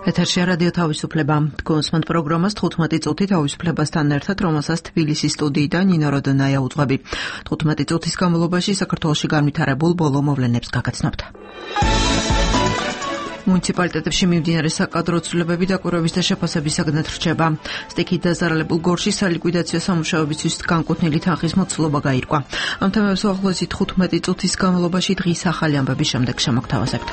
ეთერშია რადიო თავისუფლება. გონსმენთ პროგრამას 15 წუთი თავისუფლებასთან ერთად, რომელსაც თბილისის სტუდიიდან ნინო როდონაია უძღვები. 15 წუთის განმავლობაში საქართველოში განვითარებულ ბოლო მოვლენებს გაგაცნობთ. მუნიციპალიტეტებში მიმდინარე საკადრო ცვლილებები დაკვირვების და შეფასებისაგან რჩება. სტიქით დაზარალებულ გორში სალიკვიდაციო სამუშაოებისთვის განკუთვნილი თანხის მოცულობა გაირკვა. ამ თემებს უახლოესი 15 წუთის განმავლობაში დღის ახალი ამბების შემდეგ შემოგთავაზებთ.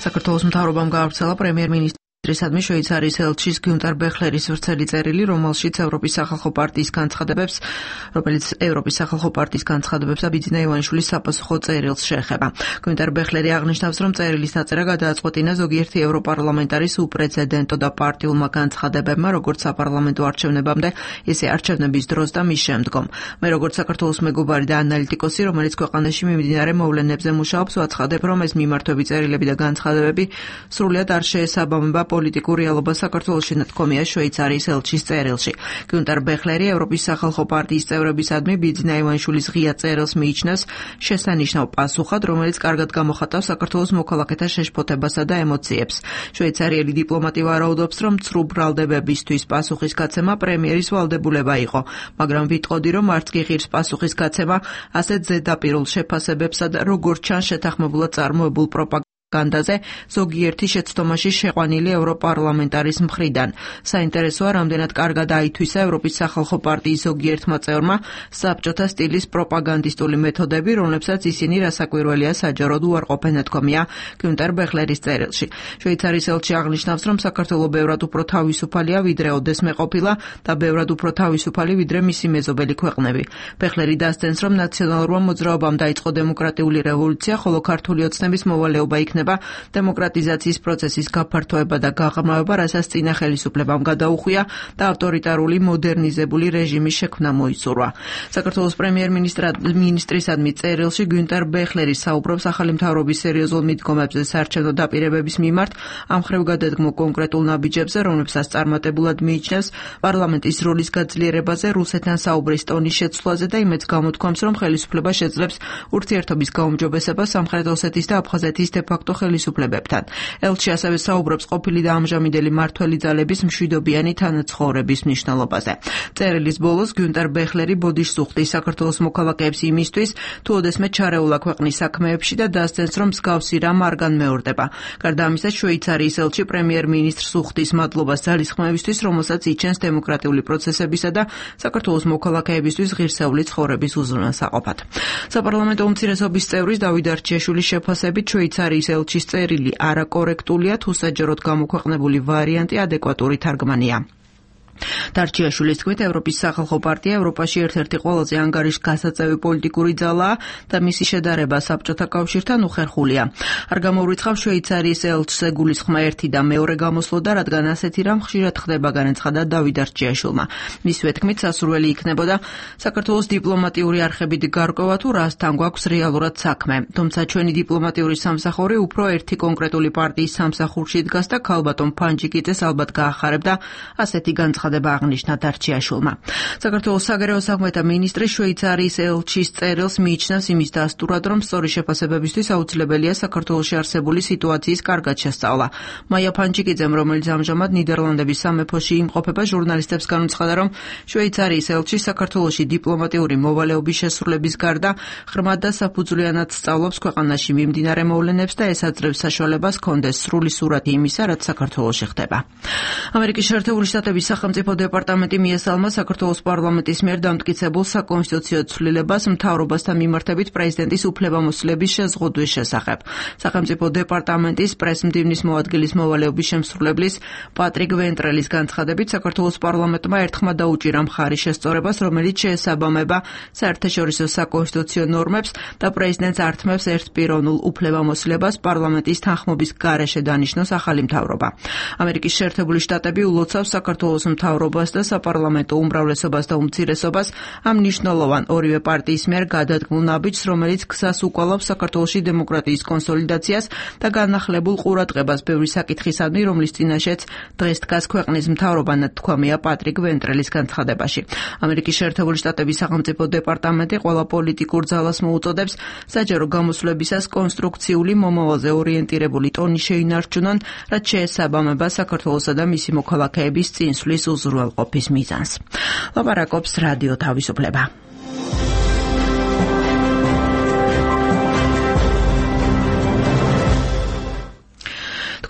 საქართველოს მთავრობამ გაავრცელა პრემიერ-მინისტრის შვეიცარიის ელჩის გიუნტერ ბეხლერის ვრცელი წერილი, რომელიც ევროპის სახალხო პარტიის განცხადებებს და ბიძინა ივანიშვილის საპასუხო წერილს შეეხება. გიუნტერ ბეხლერი აღნიშნავს, რომ წერილის დაწერა გადააწყვეტინა ზოგიერთი ევროპარლამენტარის უპრეცედენტო და პარტიულმა განცხადებებმა, როგორც საპარლამენტო არჩევნებამდე, ისე არჩევნების დროს და მის შემდგომ. მე როგორც საქართველოს მეგობარი და ანალიტიკოსი, რომელიც ქვეყანაში მიმდინარე მოვლენებზე მუშაობს, ვაცხადებ, რომ ეს მიმართვები წერილები და განცხადებები სრულად არ შეესაბამება პოლიტიკურ რეალობას საქართველოში, ნათქვამია შვეიცარიის ელჩის წერილში. გიუნტერ ბეხლერი ევროპის სახალხო პარტიის წევრებისადმი ბიძინა ივანიშვილის ღია წერილს მიიჩნევს შესანიშნავ პასუხად, რომელიც კარგად გამოხატავს საქართველოს მოქალაქეთა შეშფოთებასა და ემოციებს. შვეიცარიელი დიპლომატი ვარაუდობს, რომ ცრუ ბრალდებებისთვის პასუხის გაცემა პრემიერის ვალდებულება იყო, მაგრამ ვიტყოდი, რომ არც კი ღირს პასუხის გაცემა ასეთ ზედაპირულ შეფასებებსა და როგორც ჩანს შეთანხმებულად წარმოებულ პროპაგანდაზე ზოგიერთი შეცდომაში შეყვანილი ევროპარლამენტარის მხრიდან. საინტერესოა, რამდენად კარგად აითვისა ევროპის სახალხო პარტიის ზოგიერთმა წევრმა საბჭოთა სტილის პროპაგანდისტული მეთოდები, რომლებსაც ისინი რასაკვირველია საჯაროდ უარყოფენ, ნათქვამია გიუნტერ ბეხლერის წერილში. შვეიცარიის ელჩი აღნიშნავს, რომ საქართველო ბევრად უფრო თავისუფალია, ვიდრე ოდესმე ყოფილა და ბევრად უფრო თავისუფალი, ვიდრე მისი მეზობელი ქვეყნები. ბეხლერი დასცენს, რომ ნაციონალურმა მოძრაობამ დაიწყო დემოკრატიული რევოლუცია, ხოლო ქართული ოცნების მოვალეობა იქნება დემოკრატიზაციის პროცესის გაფართოება და გაღრმავება, რასაც წინა ხელისუფლებამ გადაუხვია და ავტორიტარული მოდერნიზებული რეჟიმის შექმნა მოისურვა. საქართველოს პრემიერ-მინისტრისადმი წერილში გიუნტერ ბეხლერი საუბრობს ახალი მთავრობის სერიოზულ მიდგომებზე საარჩევნო დაპირებების მიმართ, ამხრივ გადადგმო კონკრეტულ ნაბიჯებზე, რომლებსაც წარმატებულად მიიჩნევს პარლამენტის როლის გაძლიერებაზე, რუსეთთან საუბრის ტონის შეცვლაზე და იმედს გამოთქვამს, რომ ხელისუფლება შეძლებს ურთიერთობის გაუმჯობესებას სამხრეთ ოსეთის და აფხაზეთის დე-ფაქტო ხელისუფლებებთან. ელჩი ასევე საუბრობს ყოფილი და ამჟამინდელი მმართველი ძალების მშვიდობიანი თანაცხოვრების მნიშვნელობაზე. წერილის ბოლოს გიუნტერ ბეხლერი ბოდიშს უხდის საქართველოს მოქალაქეებს იმისთვის, თუ ოდესმე ჩარეულა ქვეყნის საქმეებში და დასცენს, რომ მსგავსი რამ არ განმეორდება. გარდა ამისა, შვეიცარიის ელჩი პრემიერ-მინისტრს უხდის მადლობას ძალისხმევისთვის, რომელსაც იჩენს დემოკრატიული პროცესებისა და საქართველოს მოქალაქეებისთვის ღირსეული ცხოვრების უზრუნველსაყოფად. საპარლამენტო უმცირესობის წევრის დავით არჩიაშვილის შეფასებით შვეიცარიის ელჩის წერილი არაკორექტულია, თუ საჯაროდ გამოქვეყნებული ვარიანტი ადეკვატური თარგმანია. დარჩიაშვილის თქმით, ევროპის სახალხო პარტია ევროპაში ერთ-ერთი ყველაზე ანგარიშგასაწევი პოლიტიკური ძალაა და მისი შედარება საბჭოთა კავშირთან უხერხულია. არ გამოურიცხავ შვეიცარიის ელჩს ეგულისხმა ერთი და მეორე გამოსვლოდა, რადგან ასეთი რამ ხშირად ხდება, განაცხადა დავით არჩიაშვილმა. მისივე თქმით, სასურველი იქნებოდა საქართველოს დიპლომატიური არხებით გარკვევა, თუ რასთან გვაქვს რეალურად საქმე. თუმცა ჩვენი დიპლომატიური სამსახური უფრო ერთი კონკრეტული პარტიის სამსახურში დგას და ქალბატონ ფანჯიკიძეს ალბათ გაახარებდა ასეთი განცხადება აღნიშნა დარჩიაშვილმა. საქართველოს საგარეო საქმეთა მინისტრი შვეიცარიის ელჩის წერილს მიიჩნევს იმის დასტურად, რომ სწორი შეფასებებისთვის აუცილებელია საქართველოში არსებული სიტუაციის კარგად შესწავლა. მაია ფანჯიკიძემ, რომელიც ამჟამად ნიდერლანდების სამეფოში იმყოფება, ჟურნალისტებს განუცხადა, რომ შვეიცარიის ელჩი საქართველოში დიპლომატიური მოვალეობის შესრულების გარდა ღრმად და საფუძვლიანად სწავლობს ქვეყანაში მიმდინარე მოვლენებს და ესაძლევს საშუალებას ჰქონდეს სრული სურათი იმისა, რაც საქართველოში ხდება. ამერიკის შეერთებული შტატების სახელმწიფო დეპარტამენტი მიესალმა საქართველოს პარლამენტის მიერ დამტკიცებულ საკონსტიტუციო ცვლილებას მთავრობასთან მიმართებით პრეზიდენტის უფლებამოსილების შეზღუდვის შესახებ. სახელმწიფო დეპარტამენტის პრესმდივნის მოადგილის მოვალეობის შემსრულებლის პატრიკ ვენტრელის განცხადებით, საქართველოს პარლამენტმა ერთხმად დაუჭირა მხარი შესწორებას, რომელიც შეესაბამება საერთაშორისო საკონსტიტუციო ნორმებს და პრეზიდენტს ართმევს ერთპიროვნულ უფლებამოსილებას პარლამენტის თანხმობის გარეშე დანიშნოს ახალი მთავრობა. ამერიკის შეერთებული შტატები ულოცავს საქართველოს მთავრობას და საპარლამენტო უმრავლესობას და უმცირესობას ამ მნიშვნელოვან ორივე პარტიის მიერ გადადგმულ ნაბიჯს, რომელიც გზას უკვალავს საქართველოში დემოკრატიის კონსოლიდაციას და განახლებულ ყურადღებას ბევრი საკითხისადმი, რომლის წინაშეც დღეს დგას ქვეყნის მთავრობა, ნათქვამია პატრიკ ვენტრელის განცხადებაში. ამერიკის შეერთებული შტატების სახელმწიფო დეპარტამენტი ყველა პოლიტიკურ ძალას მოუწოდებს საჯარო გამოსვლებისას კონსტრუქციული მომავალზე ორიენტირებული ტონი შეინარჩუნონ, რაც შეესაბამება საქართველოსა და მისი მოქალაქეების წინსვლის უზრუნველყოფის მიზანს. ლაპარაკობს რადიო თავისუფლება.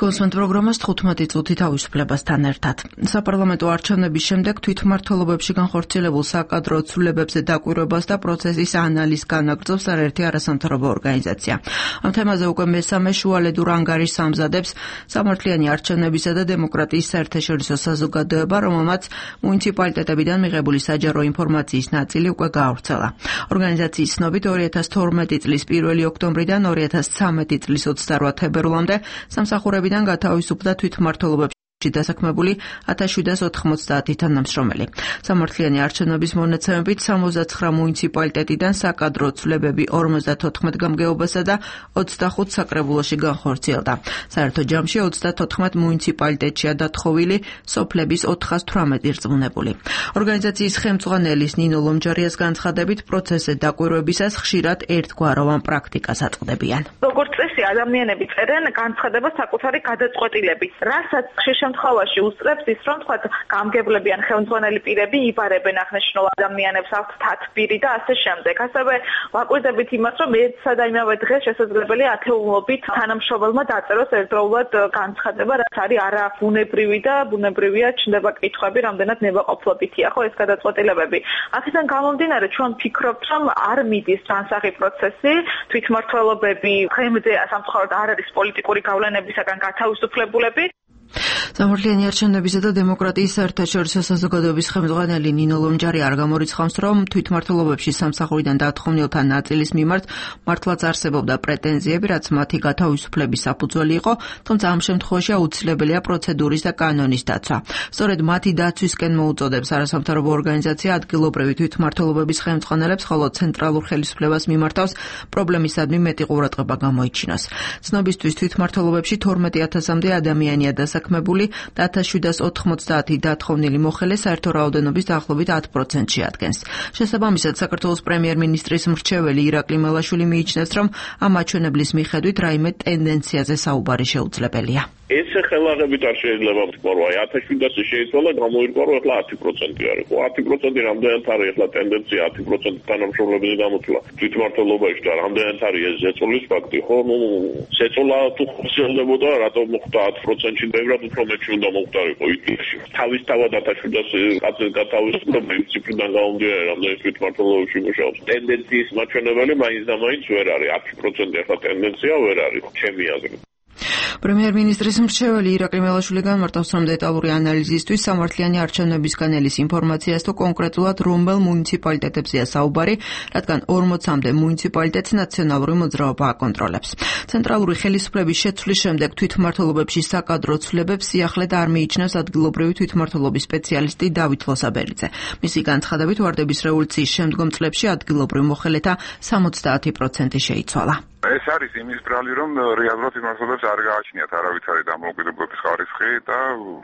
კონსვენტ პროგრამას 15 წუთი თავისუფლებასთან ერთად. საპარლამენტო არჩევნების შემდეგ თვითმმართველობებში განხორციელებულ საკადრო ცვლილებებზე დაკვირვებას და პროცესის ანალიზს განაგრძობს არაერთი არასამთავრობო ორგანიზაცია. ამ თემაზე უკვე მესამე შუალედურ ანგარიშს ამზადებს სამართლიანი არჩევნებისა და დემოკრატიის საერთაშორისო საზოგადოება, რომელმაც მუნიციპალიტეტებიდან მიღებული საჯარო ინფორმაციის ნაწილი უკვე გაავრცელა. ორგანიზაციის ცნობით 2012 წლის 1 ოქტომბრიდან 2013 წლის 28 თებერვლამდე სამსახურები გათავისუფლდა თვითმმართველობებში დასაქმებული 1790 თანამშრომელი. სამართლიანი არჩევნების მონაცემებით 69 მუნიციპალიტეტიდან საკადრო ცვლილებები 54 გამგეობასა და 25 საკრებულოში განხორციელდა. საერთო ჯამში 34 მუნიციპალიტეტშია დათხოვილი, სოფლების 418 ირწმუნებული. ორგანიზაციის ხელმძღვანელის ნინო ლომჯარიას განცხადებით, პროცესზე დაკვირვებისას ხშირად ერთგვაროვან პრაქტიკას აწყდებიან. როგორც წესი, ადამიანები წერენ განცხადებას საკუთარი გადაწყვეტილებით, რასაც ხშირ შემთხვევაში უსწრებს ის, რომ თქვათ გამგებლები ან ხელმძღვანელი პირები იბარებენ აღნიშნულ ადამიანებს აქვთ თათბირი და ასე შემდეგ. ასევე ვაკვირდებით იმას, რომ ერთსა და იმავე დღეს შესაძლებელია ათეულობით თანამშრომელმა დაწეროს ერთდროულად განცხადება, რაც არის არაბუნებრივი და ბუნებრივია ჩნდება კითხვები, რამდენად ნებაყოფლობითია ხო ეს გადაწყვეტილებები. აქედან გამომდინარე, ჩვენ ვფიქრობთ, რომ არ მიდის ჯანსაღი პროცესი, თვითმმართველობები ხემზე სამწუხაროდ არ არის პოლიტიკური გავლენებისაგან გათავისუფლებულები. სამართლიანი არჩევნებისა და დემოკრატიის საერთაშორისო საზოგადოების ხელმძღვანელი ნინო ლომჯარი არ გამორიცხავს, რომ თვითმმართველობებში სამსახურიდან დათხოვნილთა ნაწილის მიმართ მართლაც არსებობდა პრეტენზიები, რაც მათი გათავისუფლების საფუძველი იყო, თუმცა ამ შემთხვევაში აუცილებელია პროცედურის და კანონის დაცვა. სწორედ მათი დაცვისკენ მოუწოდებს არასამთავრობო ორგანიზაცია ადგილობრივი თვითმმართველობების ხელმძღვანელებს, ხოლო ცენტრალურ ხელისუფლებას მიმართავს პრობლემისადმი მეტი ყურადღება გამოიჩინოს. ცნობისთვის თვითმმართველობებში 12000-მდე ადამიანია დასაქმებული და 1790 დათხოვნილი მოხელე საერთო რაოდენობის დაახლოებით 10%-ში ადგენს. შესაბამისად, საქართველოს პრემიერ-მინისტრის მრჩეველი ირაკლი მელაშვილი მიიჩნევს, რომ ამ აჩვენებლის მიხედვით რაიმე ტენდენციაზე საუბარი შეუძლებელია. ეს ხელაღებით არ შეიძლება ვთქვა, აი 1700 შეიცვალა, გამოირკვა, რომ ახლა 10% არის. ხო, 10% რამდენად არის ახლა ტენდენცია 10% თანამშრომლების გამოცვლა თვითმმართველობაში და რამდენად არის ეს ზეწოლის ფაქტი, ხო? ზეწოლა თუ ხსენდებოდა, რატომ მოხდა 10%-ში, ბევრად უფრო მეტი უნდა მოხდარიყო იდეაში. თავისთავად 1700 კაცის გათავისუფლების ციფრიდან გამომდინარე, რამდენად თვითმმართველობაში მუშაობს. ტენდენციის მაჩვენებელი მაინც და მაინც ვერ არის. 10% ახლა ტენდენცია ვერ არის, ჩემი აზრით. პრემიერ-მინისტრის მრჩეველი ირაკლი მელაშვილი განმარტავს, რომ დეტალური ანალიზისთვის სამართლიანი არჩევნებისგან ელის ინფორმაციას თუ კონკრეტულად რომელ მუნიციპალიტეტებზეა საუბარი, რადგან 40-მდე მუნიციპალიტეტს ნაციონალური მოძრაობა აკონტროლებს. ცენტრალური ხელისუფლების შეცვლის შემდეგ თვითმმართველობებში საკადრო ცვლილებებს სიახლედ არ მიიჩნევს ადგილობრივი თვითმმართველობის სპეციალისტი დავით ლოსაბერიძე. მისი განცხადებით, ვარდების რევოლუციის შემდგომ წლებში ადგილობრივ მოხელეთა 70% შეიცვალა. ეს არის იმის ბრალი, რომ რეალურად თვითმმართველობებს არ გააჩნიათ არავითარი დამოუკიდებლობის ხარისხი და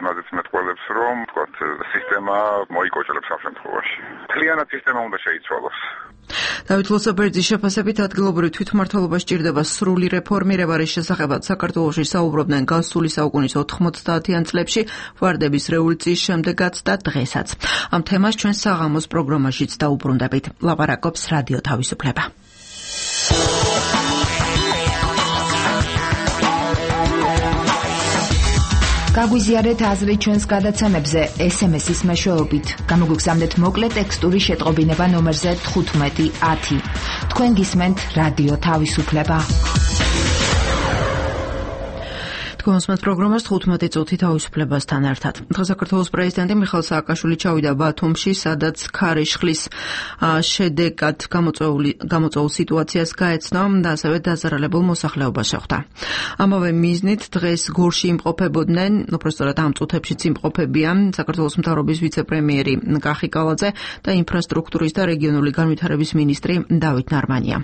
მათაც მეტყველებს, რომ თქვათ სისტემა მოიკოჭლებს ამ შემთხვევაში. მთლიანად სისტემა უნდა შეიცვალოს. დავით ლოსაბერიძის შეფასებით ადგილობრივ თვითმმართველობას სჭირდება სრული რეფორმირება, რის შესახებაც საქართველოში საუბრობდნენ გასული საუკუნის 90-იან წლებში, ვარდების რევოლუციის შემდეგაც და დღესაც. ამ თემას ჩვენ საღამოს პროგრამაშიც დაუბრუნდებით. ლაპარაკობს რადიო თავისუფლება. გაგვიზიარეთ აზრი ჩვენს გადაცემებზე SMS-ის მეშვეობით. გამოგვიგზავნეთ მოკლე ტექსტური შეტყობინება ნომერზე 1510. თქვენ გისმენთ რადიო თავისუფლება. Თქვენს პროგრამას 15 წუთი თავისუფლებასთან ერთად. საქართველოს პრეზიდენტი მიხეილ სააკაშვილი ჩავიდა ბათუმში, სადაც ქარიშხლის შედეგად გამოწვეულ სიტუაციას გაეცნო და ასევე დაზარალებულ მოსახლეობას შეხვდა. ამავე მიზნით დღეს გორში იმყოფებოდნენ, უпростоრად ამ წუთებშიც იმყოფებიან საქართველოს მთავრობის ვიცე-პრემიერი კახი კალაძე და ინფრასტრუქტურის და რეგიონული განვითარების მინისტრი დავით ნარმანია.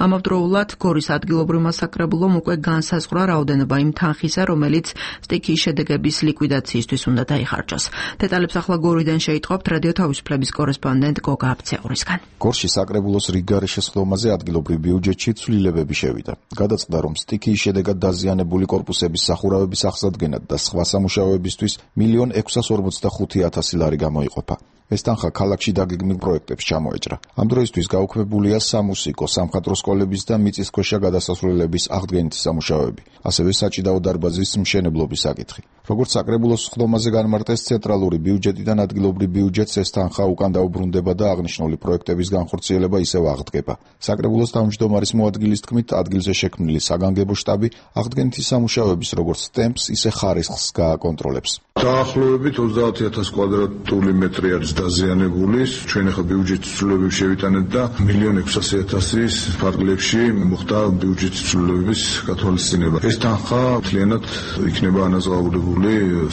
ამავდროულად გორის ადგილობრივ მასაკრებულომ უკვე განსაზღვრა რაოდენობა იმ თანხისა, რომელიც სტიქიის შედეგების ლიკვიდაციისთვის უნდა დაიხარჯოს. დეტალებს ახლა გორიდან შეიტყობთ რადიო თავისუფლების კორესპონდენტ გოგა აბცეურისგან. გორში საკრებულოს რიგგარიშის ხდომაზე ადგილობრივ ბიუჯეტში ცვლილებები შევიდა. გადაწყდა, რომ სტიქიის შედეგად დაზიანებული კორპუსების სახურავების აღსადგენად და სხვა სამუშაოებისთვის 1,645,000 ლარი გამოიყოფა. ეს თანხა ქალაქში დაგეგმილ პროექტებს ჩამოეჭრა. ამ დროისთვის გაუქმებულია სამუსიკო, სამხატვრო სკოლების და მიწისქვეშა გადასასვლელების აღდგენითი სამუშაოები, ასევე საჭიდაო დარბაზის მშენებლობის საკითხი. როგორც საკრებულოს ხდომაზე განმარტეს, ცენტრალური ბიუჯეტიდან ადგილობრივ ბიუჯეტს ეს თანხა უკან დაუბრუნდება და აღნიშნული პროექტების განხორციელება ისევ აღდგება. საკრებულოს თავმჯდომარის მოადგილის თქმით, ადგილზე შექმნილი საგანგებო შტაბი აღდგენითი სამუშაოების როგორც ტემპს, ისე ხარისხს გააკონტროლებს. დაახლოებით 30,000 კვადრატული მეტრი არის დაზიანებული. ჩვენ ახლა ბიუჯეტის ცვლილებები შევიტანეთ და 1,600,000-ის ფარგლებში მოხდა ბიუჯეტის ცვლილებების გათვალისწინება. ეს თანხა მთლიანად იქნება ანაზღაურებული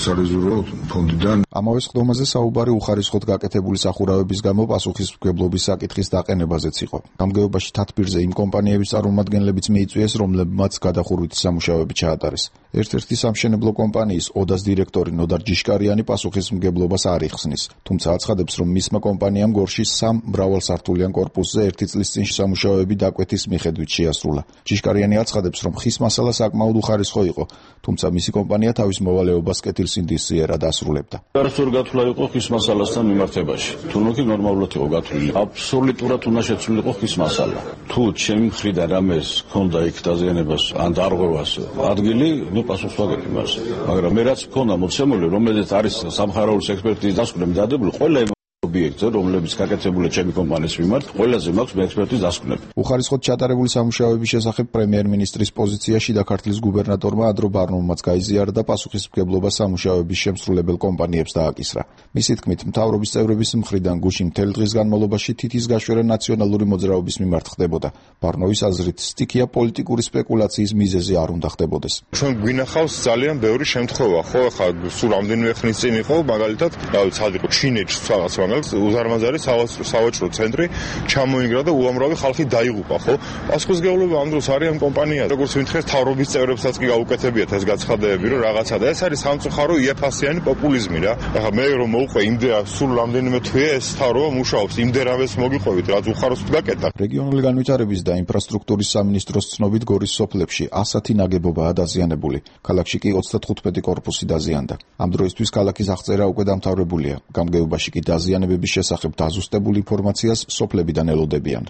სარეზერვო ფონდიდან. ამავე ხდომაზე საუბარი უხარისხოდ გაკეთებული სახურავების გამო პასუხისმგებლობის საკითხის დაყენებაზეც იყო. გამგეობაში თათბირზე იმ კომპანიების წარმომადგენლებიც მიიწვიეს, რომლებმაც გადახურვითი სამუშაოები ჩაატარეს. ერთ-ერთი სამშენებლო კომპანიის ოდას დირექტორი ნოდარ ჯიშკარიანი პასუხისმგებლობას არ იხსნის, თუმცა აცხადებს, რომ მისმა კომპანიამ გორში 3 მრავალსართულიან კორპუსზე 1 წლის წინ სამუშაოები დაკვეთის მიხედვით შეასრულა. ჯიშკარიანი აცხადებს, რომ ხის მასალა საკმაოდ უხარისხო იყო, თუმცა მისი კომპანია თავის მოვალეობას კეთილსინდისიერად ასრულებდა. არასწორი გათვლა იყო ხის მასალასთან მიმართებაში. თუნუქი ნორმალურად იყო გათვლილი. აბსოლუტურად უნდა შეცვლილიყო ხის მასალა. თუ ჩემი მხრიდან რამეს ჰქონდა იქ დაზიანებას ან დარღვევას ადგილი, პასუხს ვაგებთ იმას. მაგრამ მე რაც მქონდა მოცემული, რომელიც არის სამხაროულის ექსპერტიზის დასკვნები დადებული, ყველა ობიექტზე, რომლებიც გაკეთებულია ჩემი კომპანიის მიმართ, ყველაზე მაქვს მე ექსპერტიზის დასკვნები. უხარისხოდ ჩატარებული სამუშაოების შესახებ პრემიერ-მინისტრის პოზიციაში და ქართლის გუბერნატორმა ადრო ბარნოვმაც გაიზიარა და პასუხისმგებლობა სამუშაოების შემსრულებელ კომპანიებს დააკისრა. მისი თქმით, მთავრობის წევრების მხრიდან გუშინ მთელი დღის განმავლობაში თითის გაშვერა ნაციონალური მოძრაობის მიმართ ხდებოდა. ბარნოვის აზრით, სტიქია პოლიტიკური სპეკულაციის მიზეზი არ უნდა ხდებოდეს. ჩვენ გვინახავს ძალიან ბევრი შემთხვევა, ხო, ახლა სულ რამდენიმე ხნის წინ იყო, მაგალითად, ცალკე ჩინეთში რაღაც უზარმაზარი სავაჭრო ცენტრი ჩამოინგრა და უამრავი ხალხი დაიღუპა, ხო? პასუხისმგებლობა ამ დროს არის ამ კომპანიას. როგორც ვინთხეს, თავრობის წევრებსაც კი გაუკეთებიათ ეს გაცხადებები, რომ რაღაცა და ეს არის სამწუხარო იაფასიანი პოპულიზმი რა. ახლა მე რომ მოვყვე იმდეა სულ რამდენიმე თვეა ეს თავრობა მუშაობს, იმდერავეს მოგიყვებით, რაც უხაროს გაკეთა. რეგიონული განვითარების და ინფრასტრუქტურის სამინისტროს ცნობით გორის სოფლებში 100 ნაგებობაა დაზიანებული. ქალაქში კი 35 კორპუსი დაზიანდა. ამ დროისთვის ქალაქის აღწერა უკვე დამთავრებულია. გამგეობაში კი დაზიანებების შესახებ დაზუსტებულ ინფორმაციას სოფლებიდან ელოდებიან.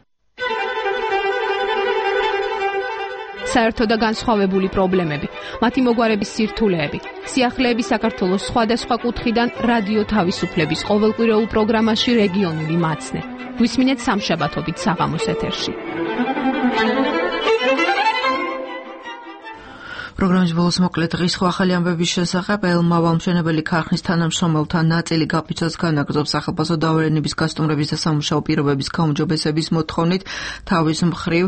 საერთო და განსხვავებული პრობლემები, მათი მოგვარების სირთულეები, სიახლეები საქართველოს სხვადასხვა კუთხიდან რადიო თავისუფლების ყოველკვირეულ პროგრამაში რეგიონული მაცნე. გვისმინეთ სამშაბათობით საღამოს ეთერში. პროგრამის ბოლოს მოკლედ დღის ახალი ამბების შესახებ ელმავალ მშენებელი ქარხნის თანამშრომელთა ნაწილი გაფიცვას განაგრძობს სახელმწიფო დაავერენების გასტუმრების და სამუშაო პირობების გაუმჯობესების მოთხოვნით. თავის მხრივ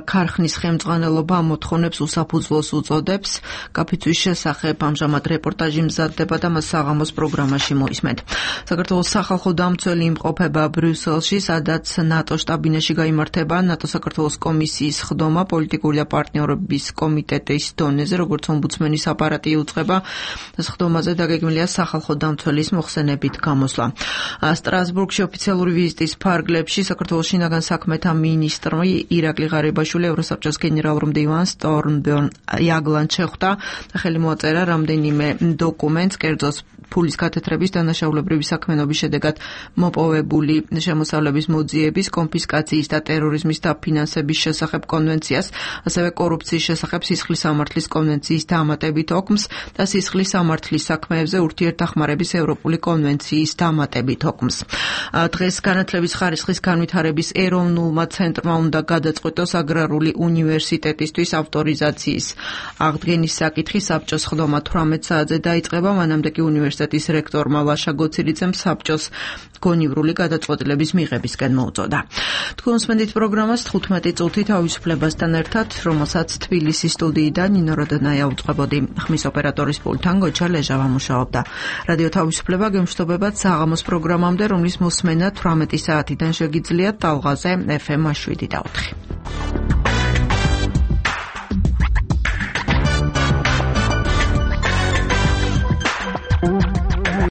ქარხნის ხელმძღვანელობა ამ მოთხოვნებს უსაფუძვლოს უწოდებს. გაფიცვის შესახებ ამჟამად რეპორტაჟი მზადდება და მას საღამოს პროგრამაში მოისმენთ. საქართველოს სახალხო დამცველი იმყოფება ბრიუსელში, სადაც ნატო შტაბინაში გაიმართება ნატო საქართველოს კომისიის ხდომა პოლიტიკური და პარტნიორობის კომიტეტის როგორც ომბუდსმენის აპარატი იუწყება. ხდომაზე დაგეგმილია სახალხო დამცველის მოხსენებით გამოსვლა. სტრასბურგში ოფიციალური ვიზიტის ფარგლებში საქართველოს შინაგან საქმეთა მინისტრი ირაკლი ღარიბაშვილი ევროსაბჭოს გენერალურ მდივანს სტორმბერნ იაგლანს შეხვდა და ხელი მოაწერა რამდენიმე დოკუმენტს, კერძო ფულის კათედრების დანაშაულებრივი საქმიანობის შედეგად მოპოვებული შემოსავლების მოძიების, კონფისკაციის და ტერორიზმის დაფინანსების შესახებ კონვენციას, ასევე კორუფციის შესახებ სისხლის სამართლის კონვენციის დამატებით ოკმს და სისხლის სამართლის საქმეებზე ურთიერთდახმარების ევროპული კონვენციის დამატებით ოკმს. დღეს განათლების ხარისხის განვითარების ეროვნულმა ცენტრმა უნდა გადაწყვეტოს აგრარული უნივერსიტეტისთვის ავტორიზაციის აღდგენის საკითხი. საბჭოს ხდომა 18 საათზე დაიწყება, მანამდე კი უნივერსიტეტის რექტორმა ლაშა გოცირიძემ საბჭოს გონივრული გადაწყვეტილების მიღებისკენ მოუწოდა. თქვენ უსმენთ პროგრამას 15 წუთი თავისუფლებასთან ერთად, რომელსაც თბილისის სტუდიიდან ნინო როდონაია უწყებოდი. ხმის ოპერატორის პულტთან გოჩა ლეჟავა მუშაობდა. რადიო თავისუფლება გემშვიდობებად საღამოს პროგრამამდე, რომლის მოსმენა 18 საათიდან შეგიძლიათ ტალღაზე FM 7 და 4.